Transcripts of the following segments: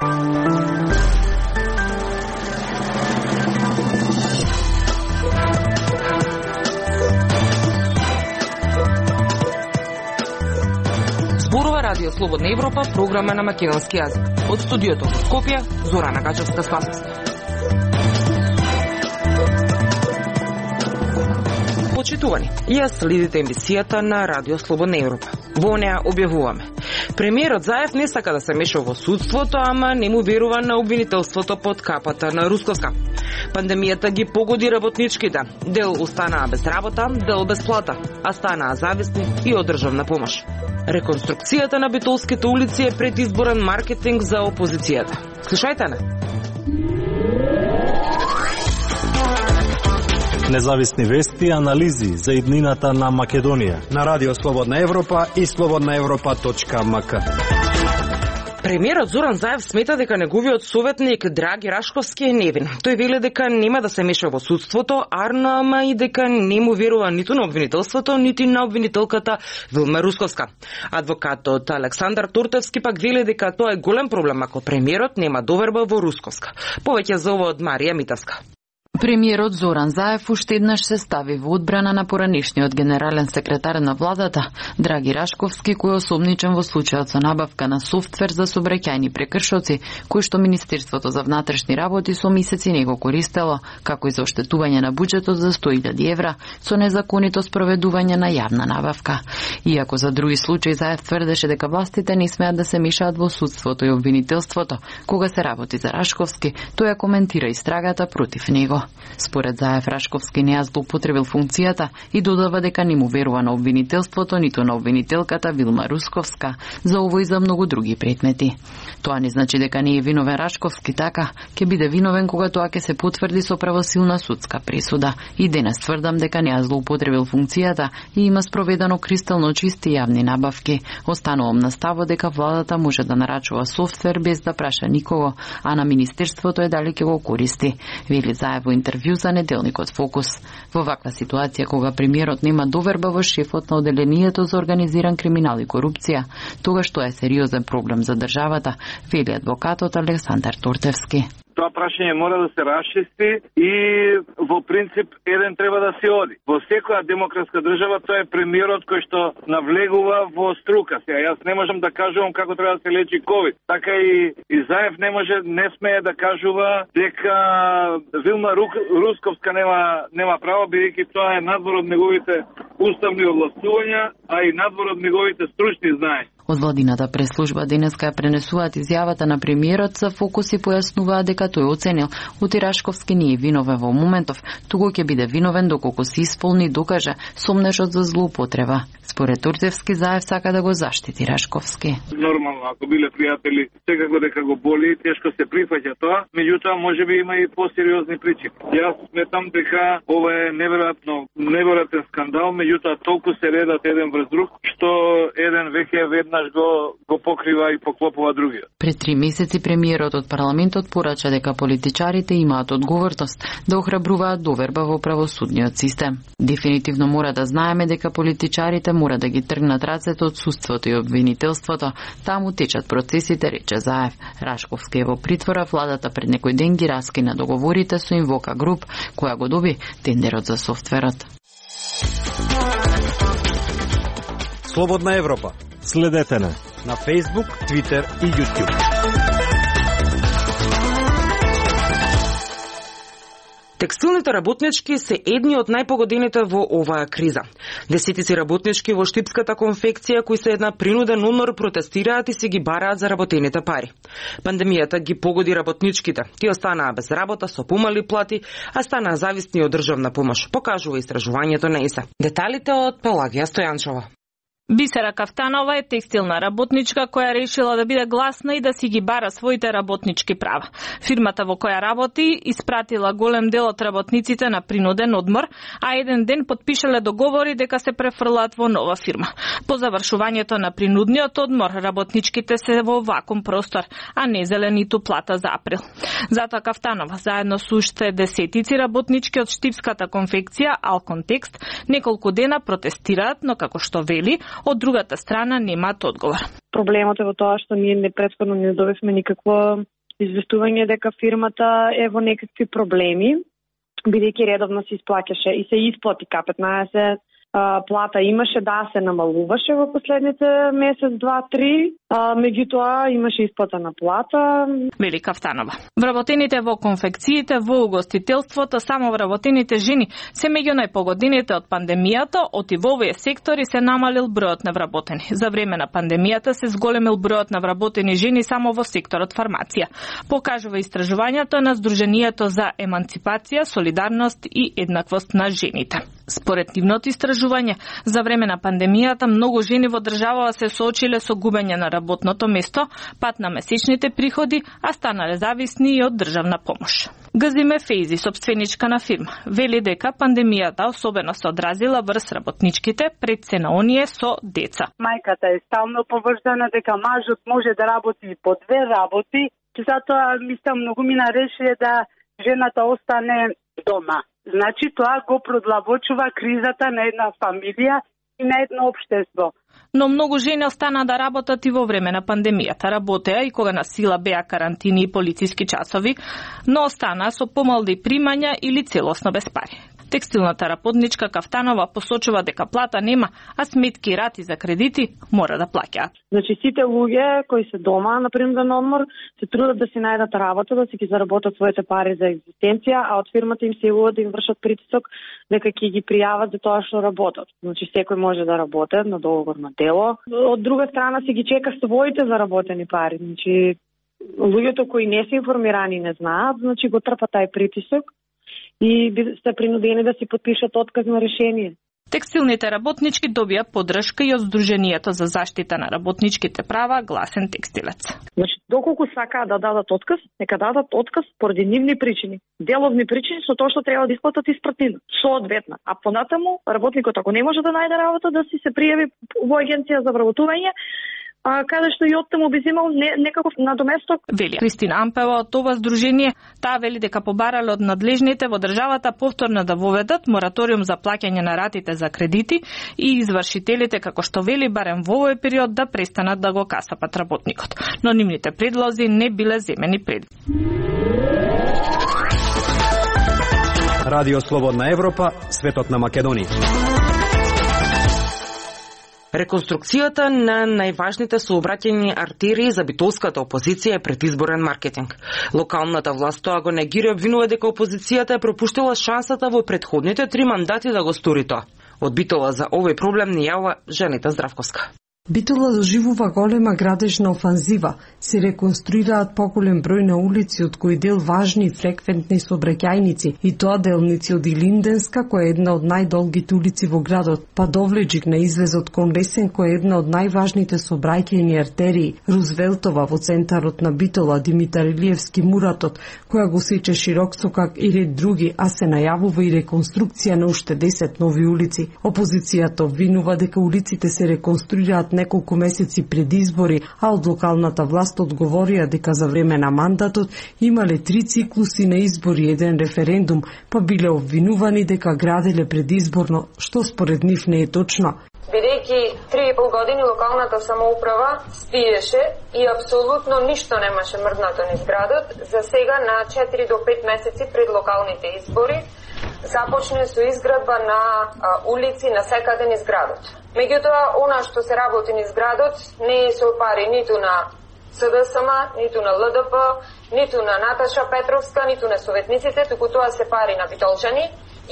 Зборува Радио Слободна Европа, програма на македонски јазик. Од студиото во Скопје, Зорана Гачевска-Спасовска. Почитувани, ја следите емисијата на Радио Слободна Европа. Во неа објавуваме: премиерот Заев не сака да се меша во судството, ама не му верува на обвинителството под капата на Русковска. Пандемијата ги погоди работничките. Дел останаа без работа, дел без плата, а станаа зависни и од државна помош. Реконструкцијата на битолските улици е предизборен маркетинг за опозицијата. Слушајте не. Независни вести и анализи за иднината на Македонија на Радио Слободна Европа и slobodnaevropa.mk. Премиерот Зоран Заев смета дека неговиот советник Драги Рашковски е невин. Тој вели дека нема да се меша во судството, ама и дека не му верува ниту на обвинителството, нити на обвинителката Вилма Русковска. Адвокатот Александар Тортевски пак вели дека тоа е голем проблем ако премиерот нема доверба во Русковска. Повеќе за ова од Марија Митевска. Премиерот Зоран Заев уште еднаш се стави во одбрана на поранешниот генерален секретар на владата Драги Рашковски, кој е осомничен во случајот со набавка на софтвер за сообраќајни прекршоци, кој што Министерството за внатрешни работи со месеци не го користело, како и за оштетување на буџетот за 100.000 евра со незаконито спроведување на јавна набавка. Иако за други случаи Заев тврдеше дека властите не смеат да се мешаат во судството и обвинителството, кога се работи за Рашковски, тој ја коментира истрагата против него. Според Заев, Рашковски не ја злоупотребил функцијата и додава дека не му верува на обвинителството, ниту на обвинителката Вилма Русковска за ово и за многу други предмети. Тоа не значи дека не е виновен Рашковски, така, ќе биде виновен кога тоа ќе се потврди со правосилна судска пресуда. И денес тврдам дека не ја злоупотребил функцијата и има спроведено кристално чисти јавни набавки. Останувам на ставот дека владата може да нарачува софтвер без да праша никого, а на Министерството е дали ќе го користи, вели Заев во интервју за неделникот Фокус. Во ваква ситуација, кога премиерот нема доверба во шефот на оделението за организиран криминал и корупција, тогаш тоа е сериозен проблем за државата, вели адвокатот Александар Тортевски. Тоа прашање мора да се расчисти и во принцип еден треба да се оди. Во секоја демократска држава тоа е премиерот кој што навлегува во струка. Сега јас не можам да кажувам како треба да се лечи ковид. Така и Заев не смее да кажува дека Вилма Русковска нема право, бидејќи тоа е надвор од неговите уставни овластувања, а и надвор од неговите стручни знаења. Од владината преслужба денеска ја пренесуваат изјавата на премиерот за Фокус и појаснуваа дека тој оценил Ути Рашковски не е виновен во моментов, туку ќе биде виновен доколку се исполни и докаже сомнежот за злоупотреба. Според Турцевски, Заев сака да го заштити Рашковски. Нормално, ако биле пријатели, секако дека го боли, тешко се прифаќа тоа, меѓутоа можеби има и посериозни причини. Јас сметам дека ова е неверојатен скандал, меѓутоа толку се редат еден врз друг, што еден веќе веднаш го покрива и поклопува другиот. Пред 3 месеци премиерот од парламентот порача дека политичарите имаат одговорност да охрабруваат доверба во правосудниот систем. Дефинитивно мора да знаеме дека политичарите мора да ги тргнат рацете од судството и обвинителството. Таму течат процесите, рече Заев. Рашковски е во притвора, владата пред некој ден ги раскина договорите со Инвока Груп, која го доби тендерот за софтверот. Слободна Европа. Следете на Facebook, Twitter и YouTube. Текстилните работнички се едни од најпогодените во оваа криза. Десетици работнички во штипската конфекција кои се една принуден умор протестираат и се ги бараат за работените пари. Пандемијата ги погоди работничките. Тие останаа без работа со помали плати, а станаа зависни од државна помош, покажува истражувањето на ИСА. Деталите од Пелагија Стојанчова. Бисера Кафтанова е текстилна работничка која решила да биде гласна и да си ги бара своите работнички права. Фирмата во која работи испратила голем дел од работниците на принуден одмор, а еден ден потпишале договори дека се префрлаат во нова фирма. По завршувањето на принудниот одмор, работничките се во вакуум простор, а не зелениту плата за април. Затоа Кафтанова, заедно со уште десетици работнички од штипската конфекција Алконтекст, неколку дена протестираат, но како што вели, од другата страна немаат одговор. Проблемот е во тоа што ние претходно не добивме никакво известување дека фирмата е во некакви проблеми, бидејќи редовно се исплаќаше и се исплати К15, плата имаше, да, се намалуваше во последните месец, 2-3, меѓутоа имаше исплата на плата. Вели Кафтанова. Вработените во конфекциите, во угостителството, само вработените жени се меѓу најпогодените од пандемијата, оти во овие сектори се намалил бројот на вработени. За време на пандемијата се зголемил бројот на вработени жени само во секторот фармација. Покажува истражувањето на Сдруженијето за еманципација, солидарност и еднаквост на жените. Според нивното истражување, за време на пандемијата многу жени во државава се соочиле со губење на работното место, пат на месечните приходи, а станале зависни и од државна помош. Газиме Фейзи, собственичка на фирма, вели дека пандемијата особено се одразила врз работничките, пред се на оние со деца. Мајката е стално поврзана дека мажот може да работи и по 2 работи, затоа мислам многу ми нареши да жената остане дома. Значи тоа го продлабочува кризата на една фамилија и на едно општество. Но многу жени остана да работат и во време на пандемијата. Работеа и кога на сила беа карантини и полициски часови, но остана со помални примања или целосно без пари. Текстилната работничка Кафтанова посочува дека плата нема, а сметки и рати за кредити мора да плаќаат. Значи сите луѓе кои се дома на принуден одмор се трудат да си најдат работа, да си ги заработат своите пари за екзистенција, а од фирмата им се да им вршат притисок дека ќе ги пријават за тоа што работат. Значи секој може да работи на договорно дело. Од друга страна си ги чека своите заработени пари. Значи луѓето кои не се информирани не знаат, значи го трпат тај притисок и се принудени да си подпишат отказно решение. Текстилните работнички добија поддршка и од Сдруженијето за заштита на работничките права Гласен текстилец. Значи, доколку сакаат да дадат отказ, нека дадат отказ поради нивни причини. Деловни причини со тоа што треба да исплатат испратнина. Соодветно. А понатаму, работникот ако не може да најде работа, да си се пријави во агенција за вработување, каде што и оттаму би земал некаков надоместок. Вели Кристина Ампева од ова здружение, таа вели дека побарале од надлежните во државата повторно да воведат мораториум за плаќање на ратите за кредити и извршителите, како што вели барем во овој период, да престанат да го касапат работникот. Но нивните предлози не биле земени пред. Радио Слободна Европа, светот на Македонија. Реконструкцијата на најважните сообраќајни артерии за битолската опозиција е предизборен маркетинг. Локалната власт тоа го негира, обвинува дека опозицијата е пропуштила шансата во претходните 3 мандати да го стори тоа. Од Битола за овој проблем ни јава Жанита Здравковска. Битола доживува голема градежна офанзива. Се реконструираат поголем број на улици, од кои дел важни и фреквентни сообраќајници, и тоа делници од Илинденска, која е една од најдолгите улици во градот, па Довлеџик на излезот кон Лесен, која е една од најважните сообраќајни артерии, Рузвелтова во центарот на Битола, Димитар Илиевски Муратот, која го сече Широксокак и ред други, а се најавува и реконструкција на уште 10 нови улици. Опозицијата обвинува дека улиците се реконструираат неколку месеци пред избори, а од локалната власт одговорија дека за време на мандатот имале 3 циклуси на избори и 1 референдум, па биле обвинувани дека граделе предизборно, што според нив не е точно. Бидејќи 3,5 години локалната самоуправа спиеше и апсолутно ништо немаше мрднато низ градот, за сега на 4 до 5 месеци пред локалните избори започне со изградба на улици на секаде низ градот. Меѓутоа, она што се работи низ градот не е со пари ниту на СДСМ, ниту на ЛДП, ниту на Наташа Петровска, ниту на советниците, туку тоа се пари на битолчани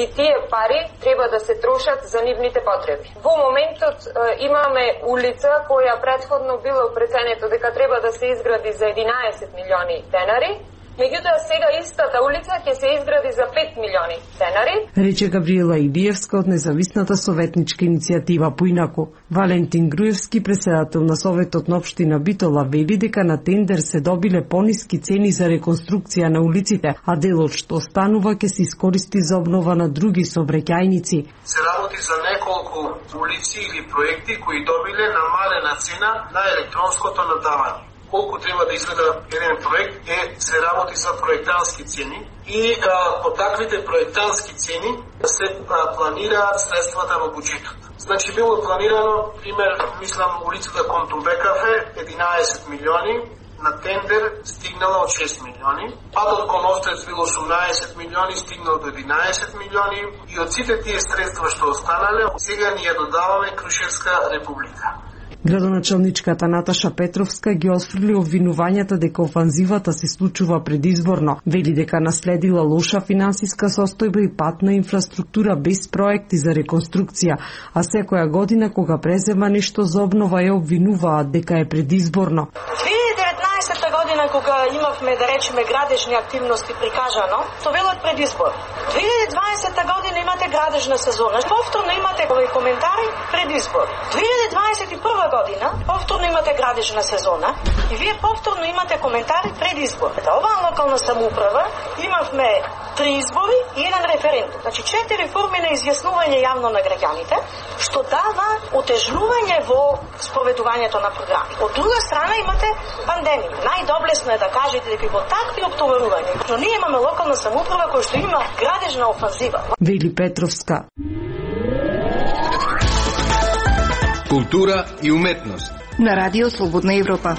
и тие пари треба да се трошат за нивните потреби. Во моментот имаме улица која претходно било преценето дека треба да се изгради за 11 милиони денари, меѓутоа сега истата улица ќе се изгради за 5 милиони денари. Рече Габриела Илиевска од независната советничка иницијатива Поинаку. Валентин Груевски, председател на Советот на општина Битола, вели дека на тендер се добиле пониски цени за реконструкција на улиците, а делот што останува ќе се искористи за обнова на други сообраќајници. Се работи за неколку улици или проекти кои добиле намалена цена на електронското надавање. Колку треба да изгледа еден проект се работи за проектански цени и по таквите проектански цени се планираат средствата во буџетот. Значи било планирано, пример, мислам улицата кон Тумбекафе 11 милиони, на тендер стигнала од 6 милиони, патот кон Острец бил 18 милиони, стигнал до 11 милиони и од сите тие средства што останале, сега ни ја додаваме Крушевска република. Градоначалничката Наташа Петровска ги осфрли обвинувањата дека офанзивата се случува предизборно. Вели дека наследила лоша финансиска состојба и патна инфраструктура без проекти за реконструкција, а секоја година кога презема нешто за обнова ја обвинуваат дека е предизборно. 2019 година кога имавме, да речеме, градежни активности прикажано, то велат предизбор. 2020 година имате градежна сезона. Повторно имате овој коментари предизбор. 2021 година повторно имате градежна сезона и вие повторно имате коментари предизбор. Оваа локална самоуправа имавме 3 избори и 1 референдум. Значи 4 форми на изјаснување јавно на граѓаните, што дава отежнување во спроведувањето на програми. Од друга страна имате пандемија. Најдоблесно е да кажете дека во такви оптоварувања, но ние имаме локална самоуправа која што има градежна офанзива. Вели Петровска. Култура и уметност на Радио Слободна Европа.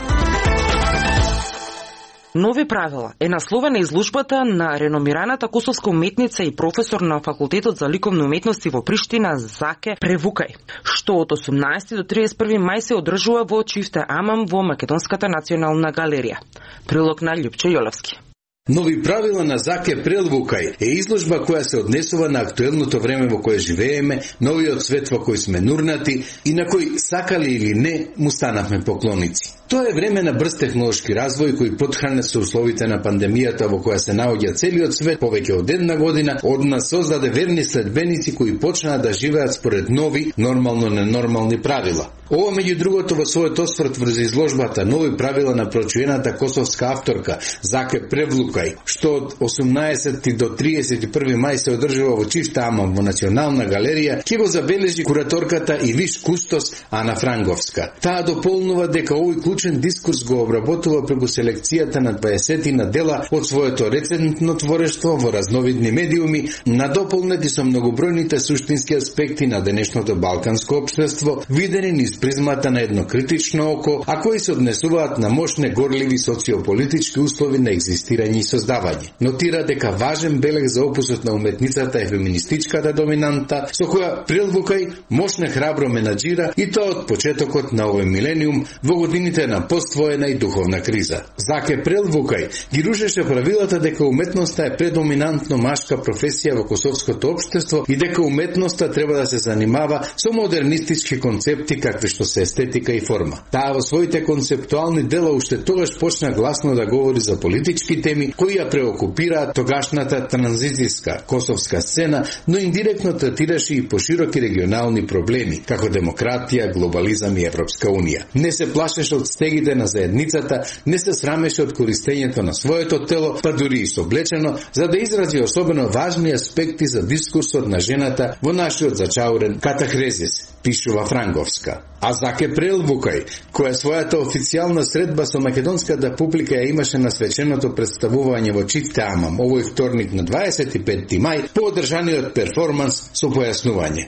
Нови правила е насловена изложбата на реномираната косовска уметница и професор на Факултетот за ликовни уметности во Приштина Заке Превукај, што од 18 до 31 мај се одржува во Чифте Амам во Македонската национална галерија. Прилог на Љупче Јолевски. Нови правила на Заке Превукај е изложба која се однесува на актуелното време во кое живееме, новиот свет во кој сме нурнати и на кој, сакали или не, му станавме поклоници. Тоа е време на брз технолошки развој кој потхранет со условите на пандемијата во која се наоѓа целиот свет повеќе од една година, од нас создаде верни следбеници кои почнаа да живеат според нови, нормално ненормални правила. Ова меѓу другото во својот осврт врз изложбата нови правила на прочуената косовска авторка Заке Превукај, што од 18 до 31 мај се одржува во Чифте Амам во Национална галерија, ќе го забележи кураторката и виш кустос Ана Франговска. Таа дополнува дека овој клучен дискурс го обработува преку селекцијата на 20 на дела од своето рецентно творештво во разновидни медиуми, надополнети со многобројните суштински аспекти на денешното балканско општество, видени низ призмата на едно критично око, а кои се однесуваат на мощне горливи социополитички услови на екзистирање и создавање. Нотира дека важен белег за опусот на уметницата е феминистичката доминанта, со која Превукај мощно храбро менаџира и тоа од почетокот на овој милениум во годините на поствоена и духовна криза. Заке Превукај ги рушеше правилата дека уметноста е предоминантно машка професија во косовското општество и дека уметноста треба да се занимава со модернистички концепти какви што се естетика и форма. Таа во своите концептуални дела уште тогаш почна гласно да говори за политички теми кои ја преокупираат тогашната транзицијска косовска сцена, но индиректно третираше и пошироки регионални проблеми, како демократија, глобализам и Европска унија. Не се плашеше од стегите на заедницата, не се срамеше од користењето на своето тело, па дури и соблечено, за да изрази особено важни аспекти за дискурсот на жената во нашиот зачаурен катахрезис, пишува Франговска. А Заке Превукај, која својата официјална средба со македонската публика ја имаше на свеченото представување во Чифте Амам овој вторник на 25 мај по одржаниот перформанс со појаснување.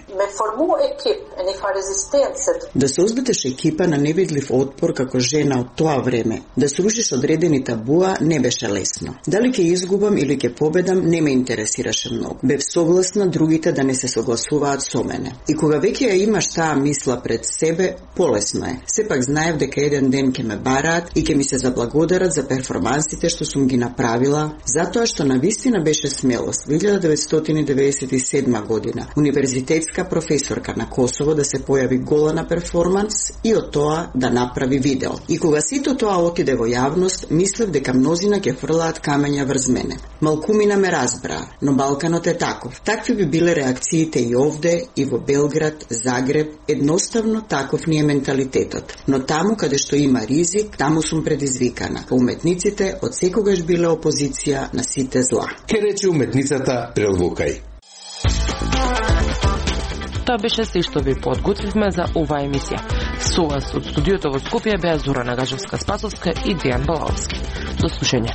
Да создадеш екипа на невидлив отпор како жена од тоа време, да срушиш одредени табуа не беше лесно. Дали ќе изгубам или ќе победам не ме интересираше многу. Бев согласна другите да не се согласуваат со мене. И кога веќе ја имаш таа мисла пред себе, полесно е. Сепак знаев дека еден ден ќе ме бараат и ќе ми се заблагодарат за перформансите што сум ги направила, затоа што навистина беше смелост. 1997 година универзитетска професорка на Косово да се појави гола на перформанс и од тоа да направи видео. И кога сето тоа отиде во јавност, мислев дека мнозина ќе фрлаат камења врз мене. Малкумина ме разбраа, но Балканот е таков. Такви би биле реакциите и овде, и во Белград, Загреб, едноставно таков ни е менталитетот. Но таму каде што има ризик, таму сум предизвикана. Уметниците од секогаш биле опозиција на сите зла. Ке рече уметницата Превукај. Тоа беше се што ви подготвивме за оваа емисија. Со вас од студиото во Скопје беа Зора Нагажевска-Спасовска и Дејан Балаовски. До слушање.